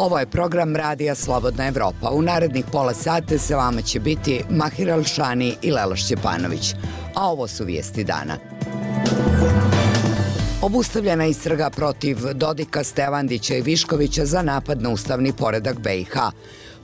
Ovo je program Radija Slobodna Evropa. U narednih pola sata sa vama će biti Mahir Alšani i Lela Šćepanović. A ovo su vijesti dana. Obustavljena istraga protiv Dodika, Stevandića i Viškovića za napad na ustavni poredak BiH.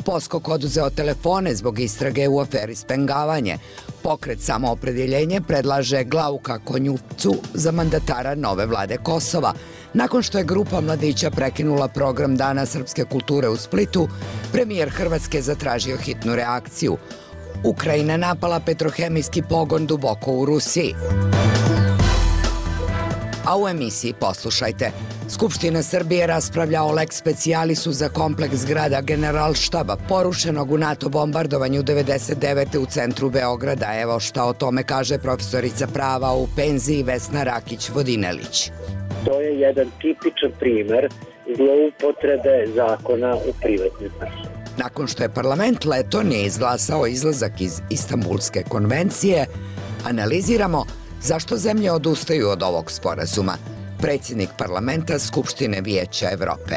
Poskok oduzeo telefone zbog istrage u aferi Spengavanje. Pokret Samoopredjeljenje predlaže Glauka Konjuvcu za mandatara nove vlade Kosova. Nakon što je grupa mladića prekinula program Dana srpske kulture u Splitu, premijer Hrvatske zatražio hitnu reakciju. Ukrajina napala petrohemijski pogon duboko u Rusiji. A u emisiji poslušajte. Skupština Srbije raspravlja o lex specijalisu za kompleks zgrada Generalštaba porušenog u NATO bombardovanju 99. u centru Beograda. Evo šta o tome kaže profesorica prava u penziji Vesna Rakić-Vodinelić. To je jedan tipičan primer zloupotrebe zakona u privatne svrhe. Nakon što je parlament Letonije izglasao izlazak iz Istanbulske konvencije, analiziramo zašto zemlje odustaju od ovog sporazuma. Predsjednik parlamenta Skupštine Vijeća Evrope.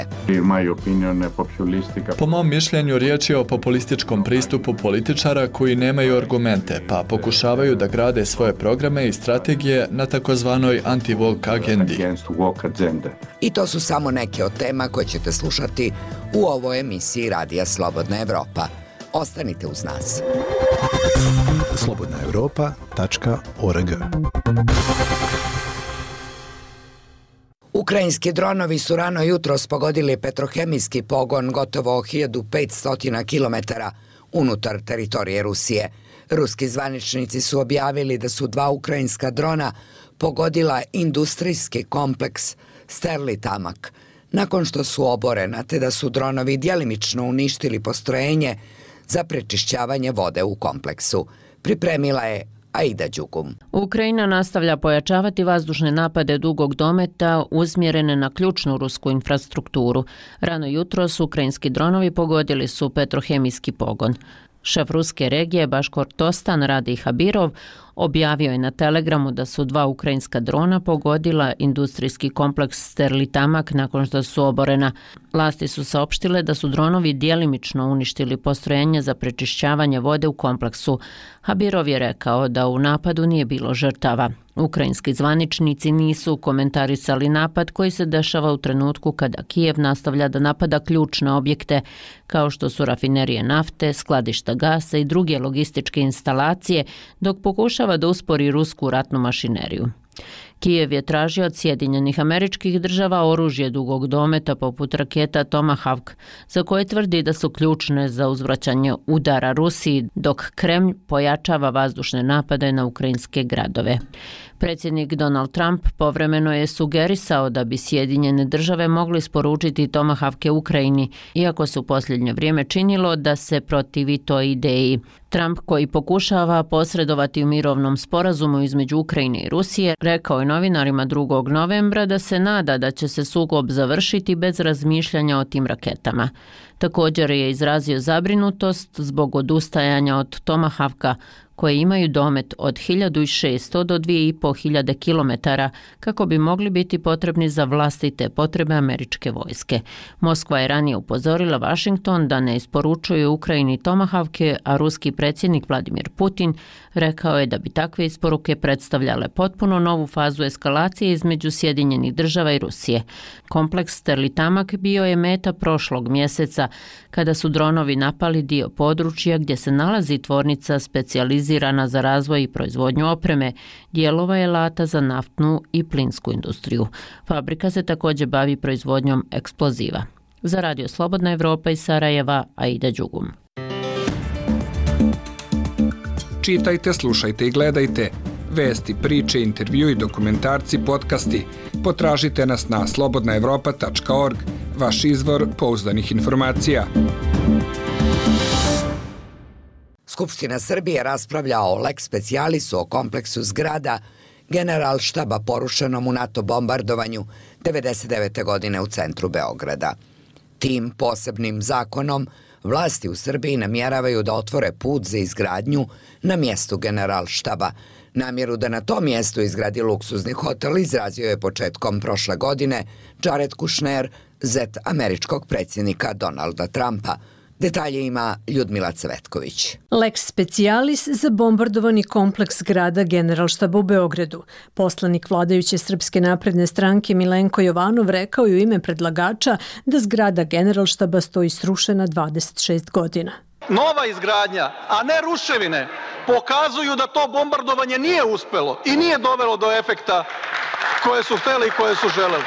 Po mom mišljenju riječ je o populističkom pristupu političara koji nemaju argumente, pa pokušavaju da grade svoje programe i strategije na takozvanoj anti-woke agendi. I to su samo neke od tema koje ćete slušati u ovoj emisiji Radija Slobodna Evropa. Ostanite uz nas. slobodnaevropa.org. Ukrajinski dronovi su rano jutros pogodili petrohemijski pogon gotovo 1500 km unutar teritorije Rusije. Ruski zvaničnici su objavili da su 2 ukrajinska drona pogodila industrijski kompleks Sterlitamak, nakon što su oborena, te da su dronovi djelimično uništili postrojenje za prečišćavanje vode u kompleksu. Pripremila je Aida Đugum. Ukrajina nastavlja pojačavati vazdušne napade dugog dometa usmjerene na ključnu rusku infrastrukturu. Rano jutros ukrajinski dronovi pogodili su petrohemijski pogon. Šef ruske regije Baškortostan Radij Habirov objavio je na Telegramu da su 2 ukrajinska drona pogodila industrijski kompleks Sterlitamak nakon što su oborena. Vlasti su saopštile da su dronovi djelimično uništili postrojenje za prečišćavanje vode u kompleksu. Habirov je rekao da u napadu nije bilo žrtava. Ukrajinski zvaničnici nisu komentarisali napad koji se dešava u trenutku kada Kijev nastavlja da napada ključne objekte kao što su rafinerije nafte, skladišta gasa i druge logističke instalacije, dok pokušava da uspori rusku ratnu mašineriju. Kijev je tražio od Sjedinjenih Američkih Država oružje dugog dometa poput raketa Tomahawk, za koje tvrdi da su ključne za uzvraćanje udara Rusiji, dok Kremlj pojačava vazdušne napade na ukrajinske gradove. Predsjednik Donald Trump povremeno je sugerisao da bi Sjedinjene Države mogli isporučiti Tomahawke Ukrajini, iako se u posljednje vrijeme činilo da se protivi toj ideji. Trump, koji pokušava posredovati u mirovnom sporazumu između Ukrajine i Rusije, rekao je novinarima 2. novembra da se nada da će se sukob završiti bez razmišljanja o tim raketama. Također je izrazio zabrinutost zbog odustajanja od Tomahawka, koje imaju domet od 1600 do 2500 km kako bi mogli biti potrebni za vlastite potrebe američke vojske. Moskva je ranije upozorila Washington da ne isporučuje Ukrajini Tomahawke, a ruski predsjednik Vladimir Putin rekao je da bi takve isporuke predstavljale potpuno novu fazu eskalacije između Sjedinjenih Država i Rusije. Kompleks Sterlitamak bio je meta prošlog mjeseca kada su dronovi napali dio područja gdje se nalazi tvornica specijalizirana za razvoj i proizvodnju opreme, dijelova i alata za naftnu i plinsku industriju. Fabrika se također bavi proizvodnjom eksploziva. Za Radio Slobodna Evropa iz Sarajeva, Aida Đugum. Čitajte, slušajte i gledajte. Vesti, priče, intervjui, dokumentarci, podcasti. Potražite nas na slobodnaevropa.org, vaš izvor pouzdanih informacija. Skupština Srbije raspravlja o lex specijalisu o kompleksu zgrada Generalštaba porušenom u NATO bombardovanju 99. godine u centru Beograda. Tim posebnim zakonom vlasti u Srbiji namjeravaju da otvore put za izgradnju na mjestu Generalštaba. Namjeru da na tom mjestu izgradi luksuzni hotel izrazio je početkom prošle godine Jared Kushner, zet američkog predsjednika Donalda Trumpa. Detalje ima Ljudmila Cvetković. Lex specialis za bombardovani kompleks zgrada Generalštaba u Beogradu. Poslanik vladajuće Srpske napredne stranke Milenko Jovanov rekao je u ime predlagača da zgrada Generalštaba stoji srušena 26 godina. Nova izgradnja, a ne ruševine, pokazuju da to bombardovanje nije uspelo i nije dovelo do efekta koje su hteli i koje su želeli.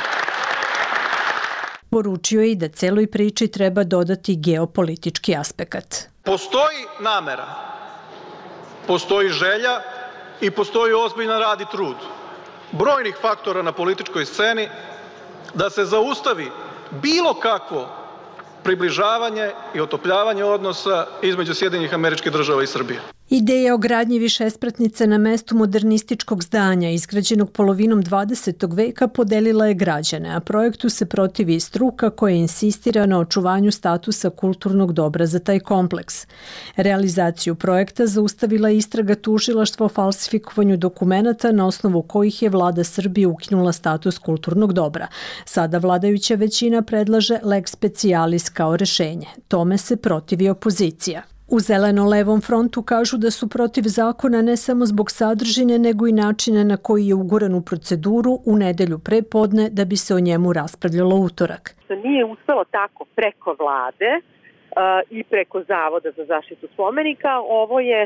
Poručio je i da celoj priči treba dodati geopolitički aspekat. Postoji namera, postoji želja i postoji ozbiljan rad i trud brojnih faktora na političkoj sceni da se zaustavi bilo kakvo približavanje i otopljavanje odnosa između Sjedinjenih Američkih Država i Srbije. Ideja o gradnji višespratnice na mestu modernističkog zdanja, izgrađenog polovinom 20. veka, podelila je građane, a projektu se protivi i struka koja insistira na očuvanju statusa kulturnog dobra za taj kompleks. Realizaciju projekta zaustavila istraga tužilaštva o falsifikovanju dokumenata na osnovu kojih je vlada Srbije ukinula status kulturnog dobra. Sada vladajuća većina predlaže lex specialis kao rešenje. Tome se protivi opozicija. U Zeleno-levom frontu kažu da su protiv zakona ne samo zbog sadržine, nego i načina na koji je uguran u proceduru u nedelju pre podne da bi se o njemu raspravljalo utorak. Nije uspelo tako preko vlade i preko Zavoda za zaštitu spomenika. Ovo je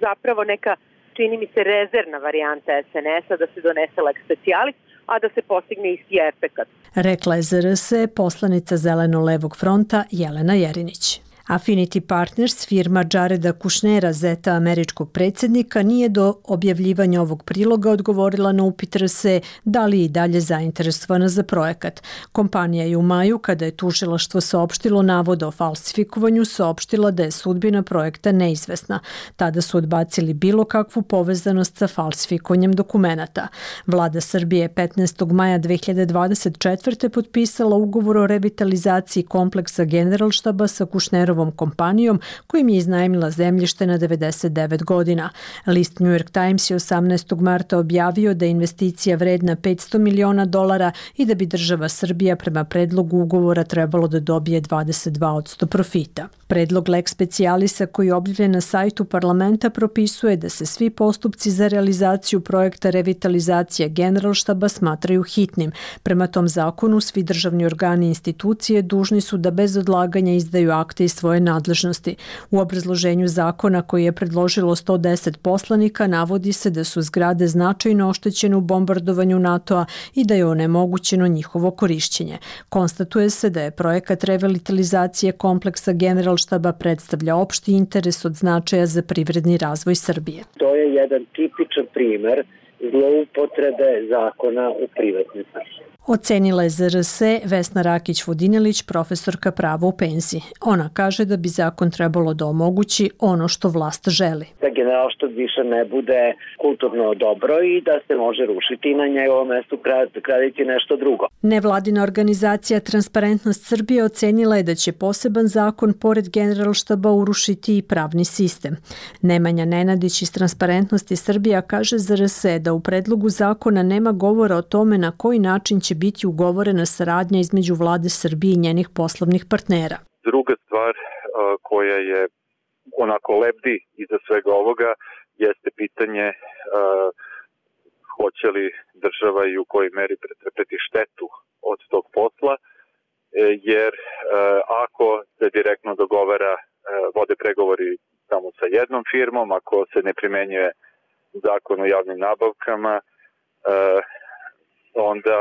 zapravo neka, čini mi se, rezervna varijanta SNS-a da se donese lex specialis, a da se postigne isti efekat. Rekla je ZRS poslanica Zeleno-levog fronta Jelena Jerinić. Affinity Partners, firma Jareda Kushnera, zeta američkog predsjednika, nije do objavljivanja ovog priloga odgovorila na upit RSE da li je i dalje zainteresovana za projekat. Kompanija je u maju, kada je tužilaštvo saopštilo navode o falsifikovanju, saopštila da je sudbina projekta neizvesna. Tada su odbacili bilo kakvu povezanost sa falsifikovanjem dokumenata. Vlada Srbije je 15. maja 2024. potpisala ugovor o revitalizaciji kompleksa Generalštaba sa Kushnerom kompanijom kojim je iznajmila zemljište na 99 godina. List New York Times je 18. marta objavio da je investicija vredna $500 miliona i da bi država Srbija prema predlogu ugovora trebalo da dobije 22% profita. Predlog lex specialisa koji je objavljen na sajtu parlamenta propisuje da se svi postupci za realizaciju projekta revitalizacije Generalštaba smatraju hitnim. Prema tom zakonu svi državni organi i institucije dužni su da bez odlaganja izdaju akte iz svoje nadležnosti. U obrazloženju zakona koji je predložilo 110 poslanika navodi se da su zgrade značajno oštećene u bombardovanju NATO-a i da je onemogućeno njihovo korišćenje. Konstatuje se da je projekat revitalizacije kompleksa Generalštaba predstavlja opšti interes od značaja za privredni razvoj Srbije. To je jedan tipičan primer zloupotrebe zakona u privatne svrhe. Ocenila je ZRS Vesna Rakić-Vodinelić, profesorka prava u penziji. Ona kaže da bi zakon trebalo da omogući ono što vlast želi. Da Generalštab više ne bude kulturno dobro i da se može rušiti i na njegovom mestu graditi nešto drugo. Nevladina organizacija Transparentnost Srbije ocenila je da će poseban zakon pored Generalštaba urušiti i pravni sistem. Nemanja Nenadić iz Transparentnosti Srbija kaže ZRS da u predlogu zakona nema govora o tome na koji način će biti ugovorena saradnja između vlade Srbije i njenih poslovnih partnera. Druga stvar koja je onako lebdi iza svega ovoga jeste pitanje hoće li država i u kojoj meri pretrpeti štetu od tog posla, jer ako se direktno dogovara, vode pregovori samo sa jednom firmom, ako se ne primenjuje zakon o javnim nabavkama, onda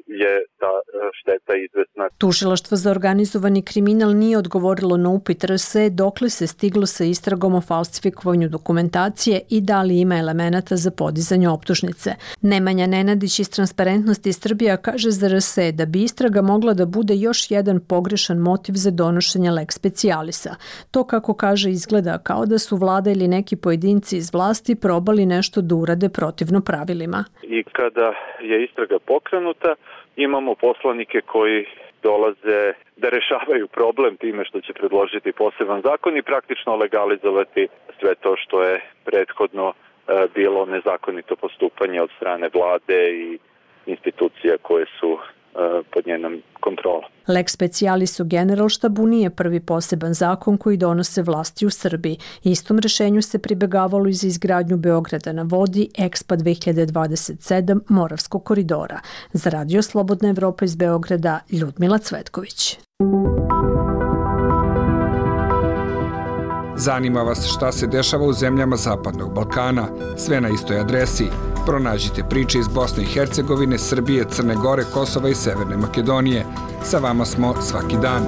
je ta šteta izvesna. Tužilaštvo za organizovani kriminal nije odgovorilo na upit RSE dokle se stiglo sa istragom o falsifikovanju dokumentacije i da li ima elemenata za podizanje optužnice. Nemanja Nenadić iz Transparentnosti Srbija kaže za RSE da bi istraga mogla da bude još jedan pogrešan motiv za donošenje lex specialisa. To, kako kaže, izgleda kao da su vlada ili neki pojedinci iz vlasti probali nešto da urade protivno pravilima. I kada je istraga pokrenuta, imamo poslanike koji dolaze da rešavaju problem time što će predložiti poseban zakon i praktično legalizovati sve to što je prethodno bilo nezakonito postupanje od strane vlade i institucija koje su pod njenom kontrolom. Lex specialis u Generalštabu nije prvi poseban zakon koji donose vlasti u Srbiji. Istom rešenju se pribegavalo i za izgradnju Beograda na vodi, EXPA 2027 Moravskog koridora. Za Radio Slobodna Evropa iz Beograda, Ljudmila Cvetković. Zanima vas šta se dešava u zemljama Zapadnog Balkana? Sve na istoj adresi. Pronađite priče iz Bosne i Hercegovine, Srbije, Crne Gore, Kosova i Severne Makedonije. Sa vama smo svaki dan.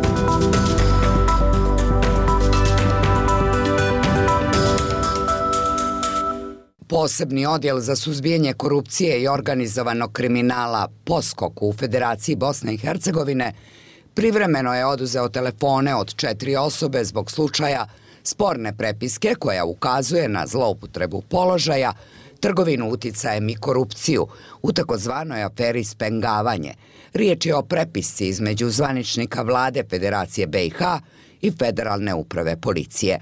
Posebni odjel za suzbijanje korupcije i organizovanog kriminala POSKOK u Federaciji Bosne i Hercegovine privremeno je oduzeo telefone od 4 osobe zbog slučaja sporne prepiske koja ukazuje na zloupotrebu položaja, trgovinu uticajem i korupciju u takozvanoj aferi Spengavanje. Riječ je o prepisci između zvaničnika vlade Federacije BiH i Federalne uprave policije.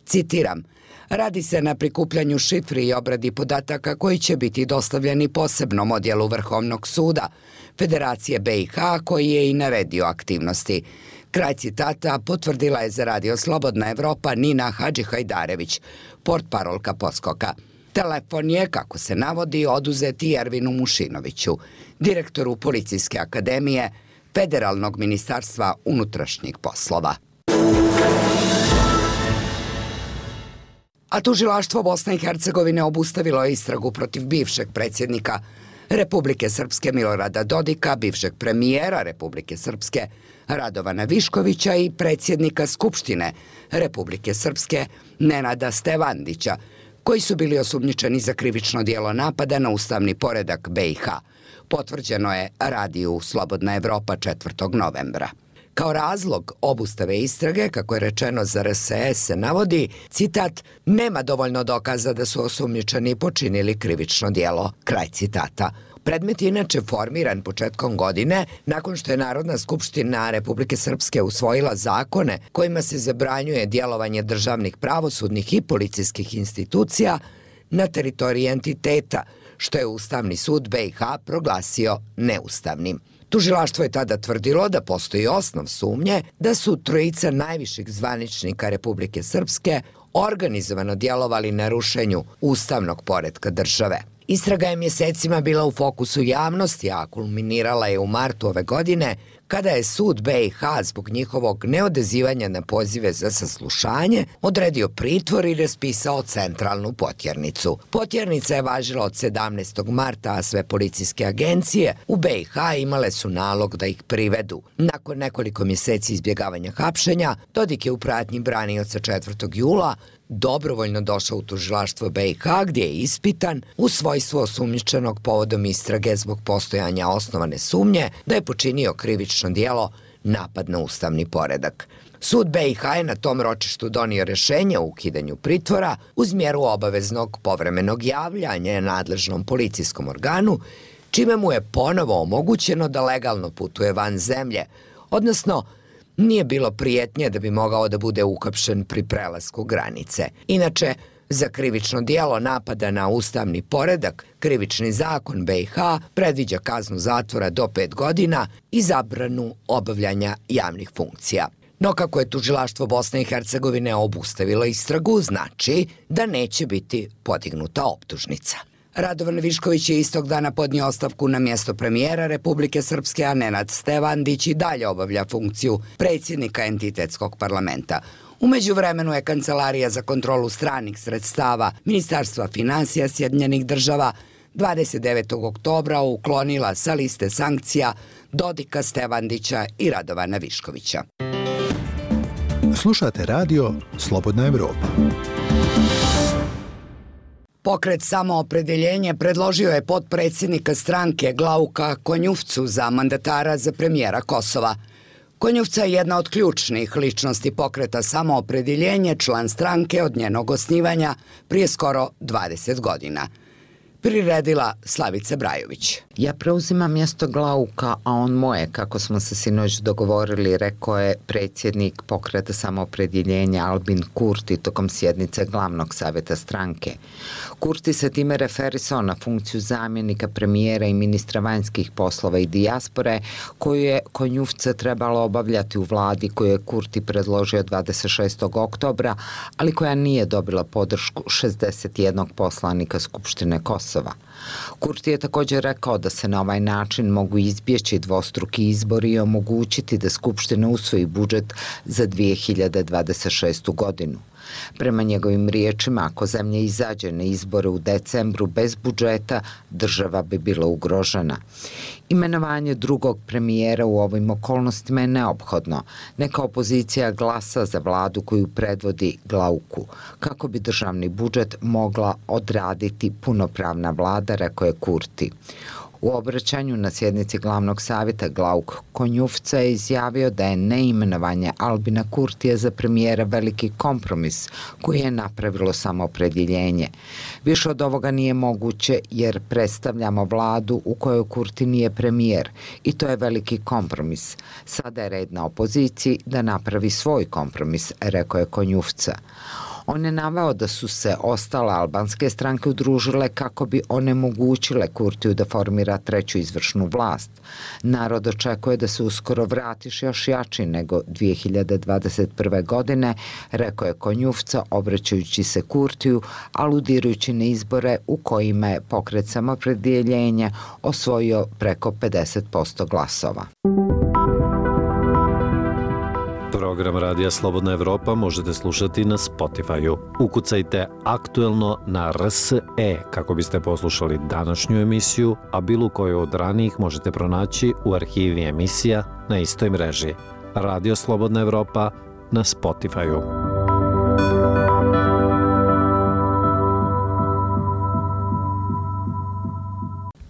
Citiram: radi se na prikupljanju šifri i obradi podataka koji će biti dostavljeni posebnom odjelu Vrhovnog suda Federacije BiH koji je i naredio aktivnosti. Kraj citata potvrdila je za Radio Slobodna Evropa Nina Hadžihajdarević, portparolka POSKOK-a. Telefon je, kako se navodi, oduzet i Ervinu Mušinoviću, direktoru Policijske akademije Federalnog ministarstva unutrašnjih poslova. A tužilaštvo Bosne i Hercegovine obustavilo je istragu protiv bivšeg predsjednika Republike Srpske Milorada Dodika, bivšeg premijera Republike Srpske Radovana Viškovića i predsjednika Skupštine Republike Srpske Nenada Stevandića, koji su bili osumnjičeni za krivično djelo napada na ustavni poredak BiH. Potvrđeno je Radiju Slobodna Evropa 4. novembra. Kao razlog obustave istrage, kako je rečeno za RSS, se navodi, citat, nema dovoljno dokaza da su osumnjičeni počinili krivično djelo, kraj citata. Predmet je inače formiran početkom godine nakon što je Narodna skupština Republike Srpske usvojila zakone kojima se zabranjuje djelovanje državnih pravosudnih i policijskih institucija na teritoriji entiteta, što je Ustavni sud BiH proglasio neustavnim. Tužilaštvo je tada tvrdilo da postoji osnov sumnje da su trojica najviših zvaničnika Republike Srpske organizovano djelovali na rušenju ustavnog poretka države. Istraga je mjesecima bila u fokusu javnosti, a kulminirala je u martu ove godine, kada je sud BiH zbog njihovog neodazivanja na pozive za saslušanje odredio pritvor i raspisao centralnu potjernicu. Potjernica je važila od 17. marta, a sve policijske agencije u BiH imale su nalog da ih privedu. Nakon nekoliko mjeseci izbjegavanja hapšenja, Dodik je u pratnji branioca 4. jula dobrovoljno došao u tužilaštvo BiH gdje je ispitan u svojstvu osumnjičenog povodom istrage zbog postojanja osnovane sumnje da je počinio krivično djelo napad na ustavni poredak. Sud BiH je na tom ročištu donio rješenje o ukidanju pritvora uz mjeru obaveznog povremenog javljanja nadležnom policijskom organu, čime mu je ponovo omogućeno da legalno putuje van zemlje, odnosno nije bilo prijetnje da bi mogao da bude uhapšen pri prelasku granice. Inače, za krivično djelo napada na ustavni poredak, krivični zakon BiH predviđa kaznu zatvora do 5 godina i zabranu obavljanja javnih funkcija. No kako je tužilaštvo Bosne i Hercegovine obustavilo istragu, znači da neće biti podignuta optužnica. Radovan Višković je istog dana podnio ostavku na mjesto premijera Republike Srpske, a Nenad Stevandić i dalje obavlja funkciju predsjednika entitetskog parlamenta. U međuvremenu je Kancelarija za kontrolu stranih sredstava Ministarstva financija Sjedinjenih država 29. oktobra uklonila sa liste sankcija Dodika, Stevandića i Radovana Viškovića. Slušate radio Slobodna Evropa. Pokret Samoopredjeljenje predložio je potpredsjednika stranke Glauka Konjufcu za mandatara za premijera Kosova. Konjufca je jedna od ključnih ličnosti pokreta Samoopredjeljenje, član stranke od njenog osnivanja prije skoro 20 godina. Priredila Slavica Brajović. Ja preuzimam mjesto Glauka, a on moje, kako smo se sinoć dogovorili, rekao je predsjednik Pokreta samoopredjeljenja Albin Kurti tokom sjednice glavnog savjeta stranke. Kurti se time referisao na funkciju zamjenika premijera i ministra vanjskih poslova i dijaspore, koju je Konjufce trebalo obavljati u vladi koju je Kurti predložio 26. oktobra, ali koja nije dobila podršku 61 poslanika Skupštine Kosova. Kurti je također rekao da se na ovaj način mogu izbjeći dvostruki izbori i omogućiti da Skupština usvoji budžet za 2026. godinu. Prema njegovim riječima, ako zemlja izađe na izbore u decembru bez budžeta, država bi bila ugrožena. Imenovanje drugog premijera u ovim okolnostima je neophodno. Neka opozicija glasa za vladu koju predvodi Glauku, kako bi državni budžet mogla odraditi punopravna vlada, rekao je Kurti. U obraćanju na sjednici glavnog savjeta Glauk Konjufca je izjavio da je neimenovanje Albina Kurtija za premijera veliki kompromis koji je napravilo samoopredjeljenje. Više od ovoga nije moguće jer predstavljamo vladu u kojoj Kurti nije premijer i to je veliki kompromis. Sada je red na opoziciji da napravi svoj kompromis, rekao je Konjufca. On je naveo da su se ostale albanske stranke udružile kako bi onemogućile Kurtiju da formira treću izvršnu vlast. Narod očekuje da se uskoro vratiš još jači nego 2021. godine, rekao je Konjufca obraćajući se Kurtiju, aludirajući na izbore u kojima je Pokret samoopredjeljenja osvojio preko 50% glasova. Program Radija Slobodna Evropa možete slušati na Spotify-u. Ukucajte aktuelno na RSE kako biste poslušali današnju emisiju, a bilo koju od ranijih možete pronaći u arhivi emisija na istoj mreži. Radio Slobodna Evropa na Spotify-u.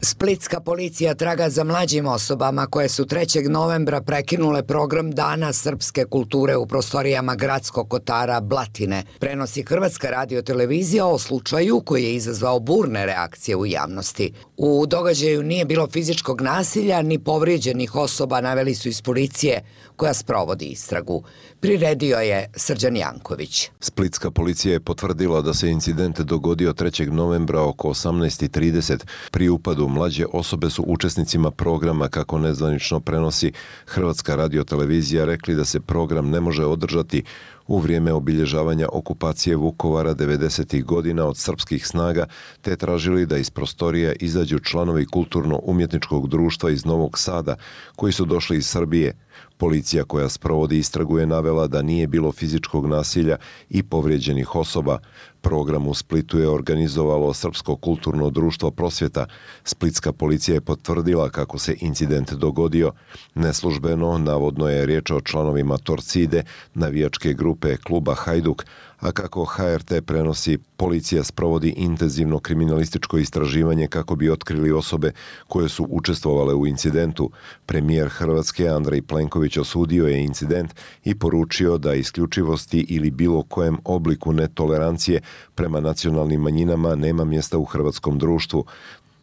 Splitska policija traga za mlađim osobama koje su 3. novembra prekinule program Dana srpske kulture u prostorijama gradskog kotara Blatine. Prenosi Hrvatska radiotelevizija o slučaju koji je izazvao burne reakcije u javnosti. U događaju nije bilo fizičkog nasilja ni povrijeđenih osoba, naveli su iz policije koja sprovodi istragu. Priredio je Srđan Janković. Splitska policija je potvrdila da se incident dogodio 3. novembra oko 18:30. Pri upadu mlađe osobe su učesnicima programa, kako nezvanično prenosi Hrvatska radiotelevizija, rekli da se program ne može održati u vrijeme obilježavanja okupacije Vukovara 90. godina od srpskih snaga, te tražili da iz prostorija izađu članovi kulturno-umjetničkog društva iz Novog Sada, koji su došli iz Srbije. Policija koja sprovodi istragu je navela da nije bilo fizičkog nasilja i povrijeđenih osoba. Program u Splitu je organizovalo Srpsko kulturno društvo Prosvjeta. Splitska policija je potvrdila kako se incident dogodio. Neslužbeno, navodno je riječ o članovima Torcide, navijačke grupe kluba Hajduk, a kako HRT prenosi, policija sprovodi intenzivno kriminalističko istraživanje kako bi otkrili osobe koje su učestvovale u incidentu. Premijer Hrvatske Andrej Plenković osudio je incident i poručio da isključivosti ili bilo kojem obliku netolerancije prema nacionalnim manjinama nema mjesta u hrvatskom društvu.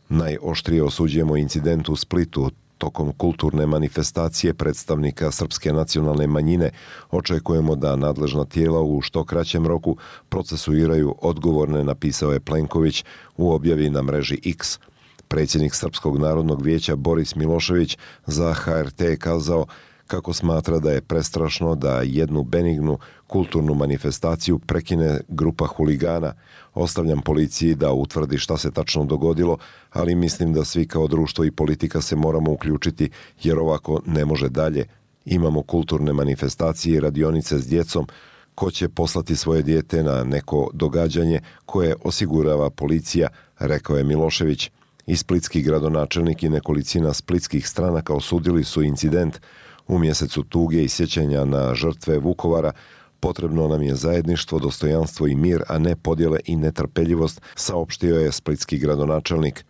Najoštrije osuđujemo incident u Splitu. Tokom kulturne manifestacije predstavnika srpske nacionalne manjine očekujemo da nadležna tijela u što kraćem roku procesuiraju odgovorne, napisao je Plenković u objavi na mreži X. Predsjednik Srpskog narodnog vijeća Boris Milošević za HRT je kazao kako smatra da je prestrašno da jednu benignu kulturnu manifestaciju prekine grupa huligana. Ostavljam policiji da utvrdi šta se tačno dogodilo, ali mislim da svi kao društvo i politika se moramo uključiti jer ovako ne može dalje. Imamo kulturne manifestacije i radionice s djecom. Ko će poslati svoje dijete na neko događanje koje osigurava policija, rekao je Milošević. I splitski gradonačelnik i nekolicina splitskih stranaka osudili su incident. U mjesecu tuge i sjećanja na žrtve Vukovara potrebno nam je zajedništvo, dostojanstvo i mir, a ne podjele i netrpeljivost, saopštio je splitski gradonačelnik.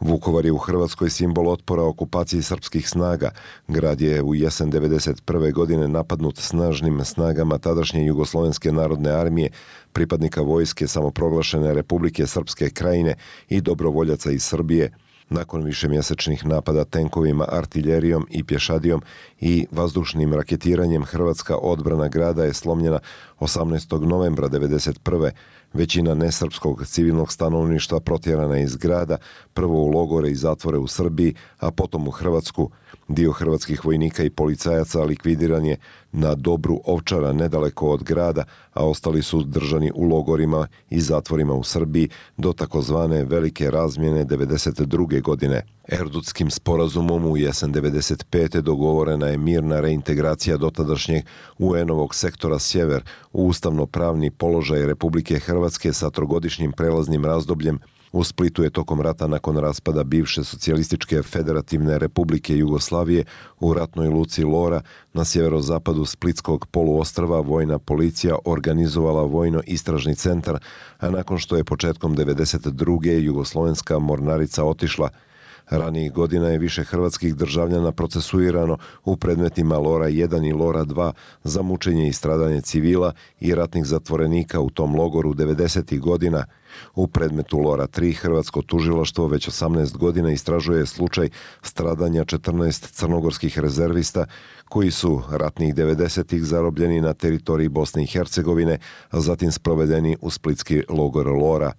Vukovar je u Hrvatskoj simbol otpora okupaciji srpskih snaga. Grad je u jesen 1991. godine napadnut snažnim snagama tadašnje Jugoslovenske narodne armije, pripadnika vojske samoproglašene Republike Srpske Krajine i dobrovoljaca iz Srbije. Nakon višemjesečnih napada tenkovima, artiljerijom i pješadijom i vazdušnim raketiranjem, hrvatska odbrana grada je slomljena 18. novembra 1991. Većina nesrpskog civilnog stanovništva protjerana je iz grada, prvo u logore i zatvore u Srbiji, a potom u Hrvatsku. Dio hrvatskih vojnika i policajaca likvidiran je na Dobru Ovčara nedaleko od grada, a ostali su držani u logorima i zatvorima u Srbiji do takozvane velike razmjene 1992. godine. Erdutskim sporazumom u jesen 1995. dogovorena je mirna reintegracija dotadašnjeg UN-ovog sektora Sjever u ustavno-pravni položaj Republike Hrvatske sa trogodišnjim prelaznim razdobljem. U Splitu je tokom rata nakon raspada bivše socijalističke federativne Republike Jugoslavije u ratnoj luci Lora na sjeverozapadu Splitskog poluostrva vojna policija organizovala vojno-istražni centar, a nakon što je početkom 1992. jugoslovenska mornarica otišla. Ranijih godina je više hrvatskih državljana procesuirano u predmetima Lora 1 i Lora 2 za mučenje i stradanje civila i ratnih zatvorenika u tom logoru 90. godina. U predmetu Lora 3 hrvatsko tužilaštvo već 18 godina istražuje slučaj stradanja 14 crnogorskih rezervista koji su ratnih 90-ih zarobljeni na teritoriji Bosne i Hercegovine, a zatim sprovedeni u splitski logor Lora.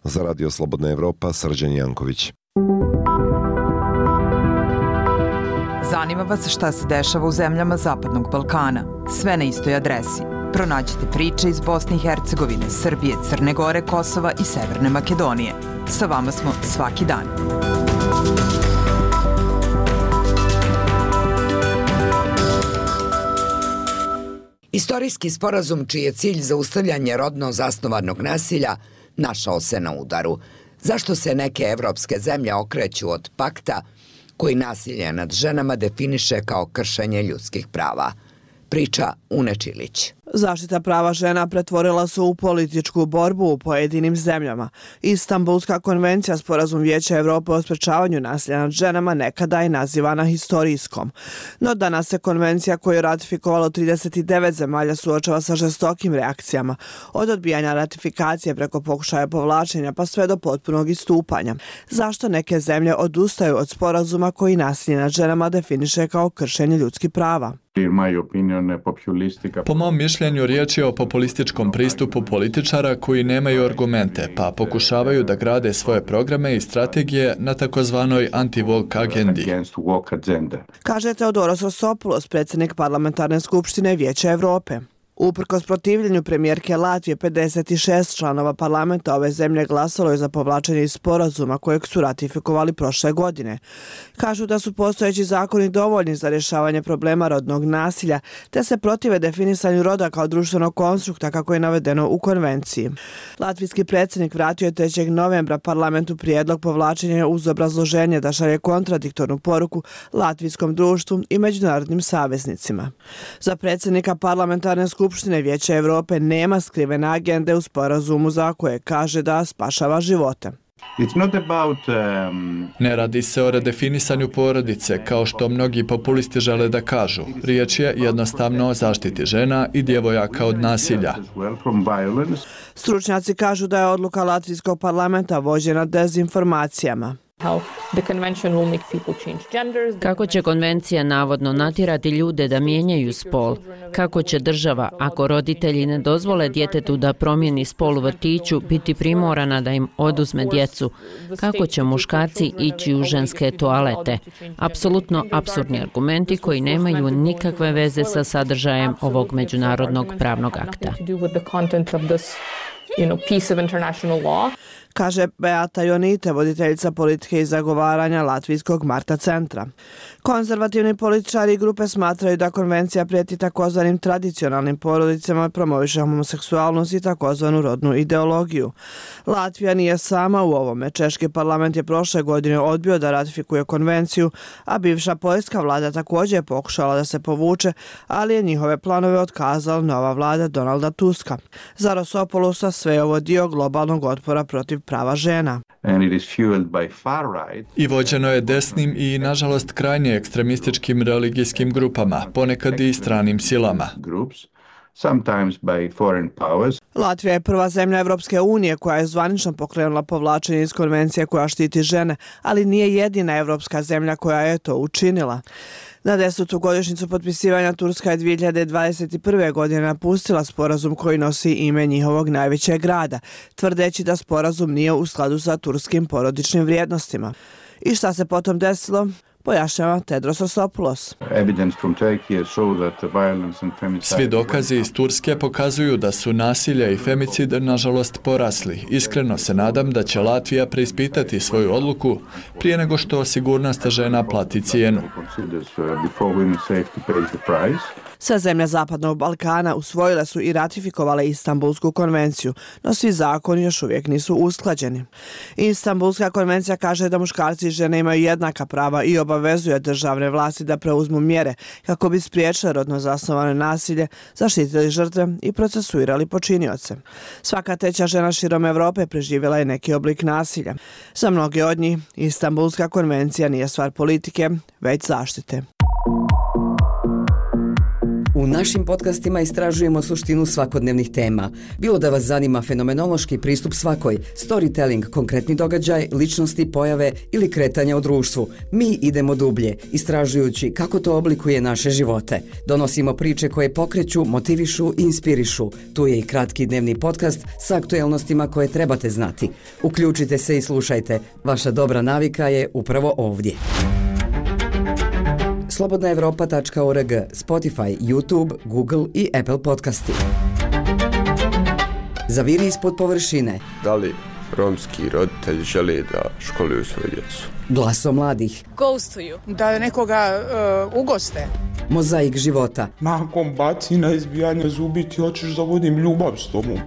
Za Radio Slobodna Evropa, Srđan Janković. Zanima vas šta se dešava u zemljama Zapadnog Balkana? Sve na istoj adresi. Pronađite priče iz Bosne i Hercegovine, Srbije, Crne Gore, Kosova i Severne Makedonije. Sa vama smo svaki dan. Istorijski sporazum čiji je cilj zaustavljanje rodno zasnovanog nasilja našao se na udaru. Zašto se neke evropske zemlje okreću od pakta koji nasilje nad ženama definiše kao kršenje ljudskih prava? Priča Une Čilić. Zaštita prava žena pretvorila se u političku borbu u pojedinim zemljama. Istanbulska konvencija, sporazum Vijeća Evrope o sprečavanju nasilja nad ženama, nekada je nazivana historijskom. No danas se konvencija koju je ratifikovalo 39 zemalja suočava sa žestokim reakcijama, od odbijanja ratifikacije preko pokušaja povlačenja pa sve do potpunog istupanja. Zašto neke zemlje odustaju od sporazuma koji nasilje nad ženama definiše kao kršenje ljudskih prava? Po mom mišljenju riječ je o populističkom pristupu političara koji nemaju argumente, pa pokušavaju da grade svoje programe i strategije na takozvanoj anti-woke agendi. Kaže Teodoros Rosopoulos, predsjednik parlamentarne skupštine Vijeća Evrope. Uprkos protivljenju premijerke Latvije, 56 članova parlamenta ove zemlje glasalo je za povlačenje iz sporazuma kojeg su ratifikovali prošle godine. Kažu da su postojeći zakoni dovoljni za rješavanje problema rodnog nasilja, te se protive definisanju roda kao društvenog konstrukta kako je navedeno u konvenciji. Latvijski predsjednik vratio je 3. novembra parlamentu prijedlog povlačenja uz obrazloženje da šalje kontradiktornu poruku latvijskom društvu i međunarodnim saveznicima. Za predsjednika parlamentarne Skupštine Vijeća Evrope nema skrivene agende u sporazumu za koje kaže da spašava živote. Ne radi se o redefinisanju porodice, kao što mnogi populisti žele da kažu. Riječ je jednostavno o zaštiti žena i djevojaka od nasilja. Stručnjaci kažu da je odluka Latvijskog parlamenta vođena dezinformacijama. Kako će konvencija navodno natjerati ljude da mijenjaju spol? Kako će država, ako roditelji ne dozvole djetetu da promijeni spol u vrtiću, biti primorana da im oduzme djecu? Kako će muškarci ići u ženske toalete? Apsolutno apsurdni argumenti koji nemaju nikakve veze sa sadržajem ovog međunarodnog pravnog akta. Kaže Beata Jonite, voditeljica politike i zagovaranja Latvijskog Marta centra. Konzervativni političari i grupe smatraju da konvencija prijeti takozvanim tradicionalnim porodicama, promoviše homoseksualnost i takozvanu rodnu ideologiju. Latvija nije sama u ovome. Češki parlament je prošle godine odbio da ratifikuje konvenciju, a bivša poljska vlada također je pokušala da se povuče, ali je njihove planove otkazala nova vlada Donalda Tuska. Za Rosopoulosa sve je ovo dio globalnog otpora protiv prava žena. I vođeno je desnim i, nažalost, krajnje ekstremističkim religijskim grupama, ponekad i stranim silama. Latvija je prva zemlja Evropske unije koja je zvanično pokrenula povlačenje iz konvencije koja štiti žene, ali nije jedina evropska zemlja koja je to učinila. Na 10. godišnjicu potpisivanja Turska je 2021. godine napustila sporazum koji nosi ime njihovog najvećeg grada, tvrdeći da sporazum nije u skladu sa turskim porodičnim vrijednostima. I šta se potom desilo? Pojašnjava Tedros Rosopoulos. Svi dokazi iz Turske pokazuju da su nasilje i femicid nažalost porasli. Iskreno se nadam da će Latvija preispitati svoju odluku prije nego što sigurnost žena plati cijenu. Sve zemlje Zapadnog Balkana usvojile su i ratifikovale Istanbulsku konvenciju, no svi zakoni još uvijek nisu usklađeni. Istanbulska konvencija kaže da muškarci i žene imaju jednaka prava i obavezuje državne vlasti da preuzmu mjere kako bi spriječile rodno zasnovano nasilje, zaštitili žrtve i procesuirali počinioce. Svaka treća žena širom Europe preživjela je neki oblik nasilja. Za mnoge od njih Istanbulska konvencija nije stvar politike, već zaštite. U našim podcastima istražujemo suštinu svakodnevnih tema. Bilo da vas zanima fenomenološki pristup svakoj, storytelling, konkretni događaj, ličnosti, pojave ili kretanja u društvu. Mi idemo dublje, istražujući kako to oblikuje naše živote. Donosimo priče koje pokreću, motivišu i inspirišu. Tu je i kratki dnevni podcast sa aktuelnostima koje trebate znati. Uključite se i slušajte. Vaša dobra navika je upravo ovdje. slobodnaevropa.org, Spotify, YouTube, Google i Apple podcasti. Zaviri ispod površine. Da li romski roditelji žele da školuju svoju djecu? Glaso mladih. Ghostuju. Da nekoga ugoste. Mozaik života. Nakon bacina, izbijanja zubi ti hoćeš da vodim ljubav s tobom.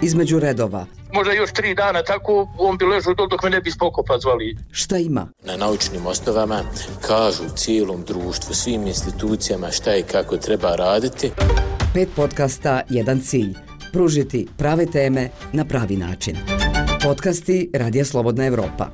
Između redova. Možda još 3 dana tako, on bi ležao dok me ne bi spokopa zvali. Šta ima? Na naučnim osnovama kažu cijelom društvu, svim institucijama šta i kako treba raditi. 5 podcasta, jedan cilj. Pružiti prave teme na pravi način. Podcasti Radija Slobodna Evropa.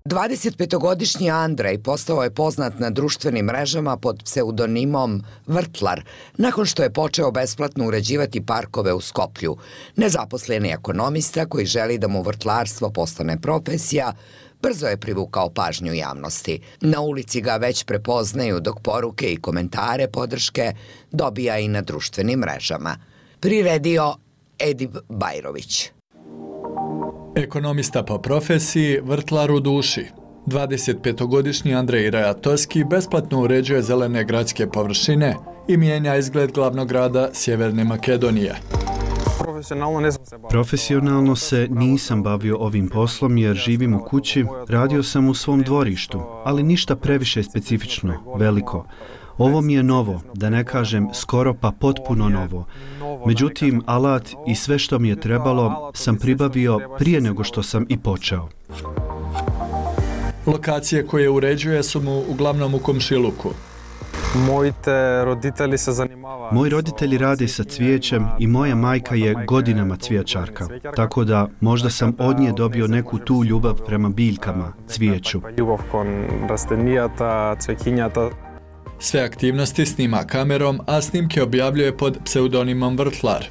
25-godišnji Andrej postao je poznat na društvenim mrežama pod pseudonimom Vrtlar, nakon što je počeo besplatno uređivati parkove u Skoplju. Nezaposleni ekonomista koji želi da mu vrtlarstvo postane profesija, brzo je privukao pažnju javnosti. Na ulici ga već prepoznaju, dok poruke i komentare podrške dobija i na društvenim mrežama. Priredio Edip Bajrović. Ekonomista po profesiji, vrtlar u duši. 25-godišnji Andrej Rajatoski besplatno uređuje zelene gradske površine i mijenja izgled glavnog grada Sjeverne Makedonije. Profesionalno se nisam bavio ovim poslom jer živim u kući, radio sam u svom dvorištu, ali ništa previše specifično, veliko. Ovo mi je novo, da ne kažem skoro pa potpuno novo. Međutim, alat i sve što mi je trebalo sam pribavio prije nego što sam i počeo. Lokacije koje uređuje su mu uglavnom u komšiluku. Moji roditelji rade sa cvijećem i moja majka je godinama cvijećarka, tako da možda sam od nje dobio neku tu ljubav prema biljkama, cvijeću. Sve aktivnosti snima kamerom, a snimke objavljuje pod pseudonimom Vrtlar.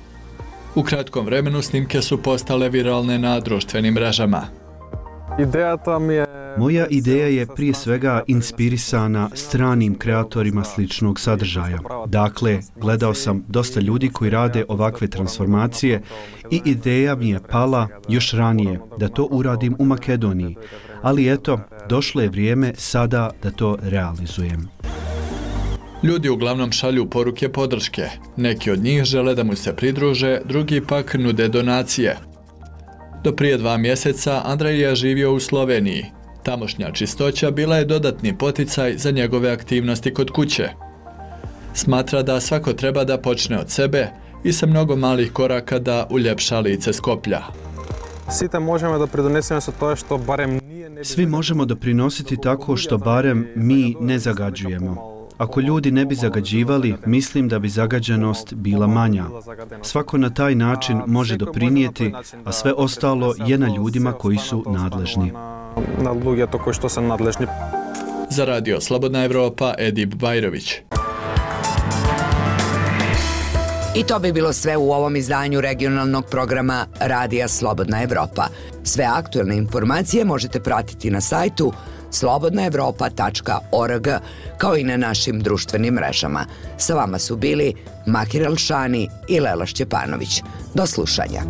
U kratkom vremenu snimke su postale viralne na društvenim mrežama. Moja ideja je prije svega inspirisana stranim kreatorima sličnog sadržaja. Dakle, gledao sam dosta ljudi koji rade ovakve transformacije i ideja mi je pala još ranije da to uradim u Makedoniji. Ali eto, došlo je vrijeme sada da to realizujem. Ljudi uglavnom šalju poruke podrške. Neki od njih žele da mu se pridruže, drugi pak nude donacije. Do prije 2 mjeseca Andrej je živio u Sloveniji. Tamošnja čistoća bila je dodatni poticaj za njegove aktivnosti kod kuće. Smatra da svako treba da počne od sebe i sa mnogo malih koraka da uljepša lice Skoplja. Svi možemo doprinositi tako što barem mi ne zagađujemo. Ako ljudi ne bi zagađivali, mislim da bi zagađenost bila manja. Svako na taj način može doprinijeti, a sve ostalo je na ljudima koji su nadležni. Za Radio Slobodna Evropa, Edip Bajrović. I to bi bilo sve u ovom izdanju regionalnog programa Radija Slobodna Evropa. Sve aktuelne informacije možete pratiti na sajtu slobodnaevropa.org, kao i na našim društvenim mrežama. Sa vama su bili Makir Elšani i Lela Šćepanović. Do slušanja.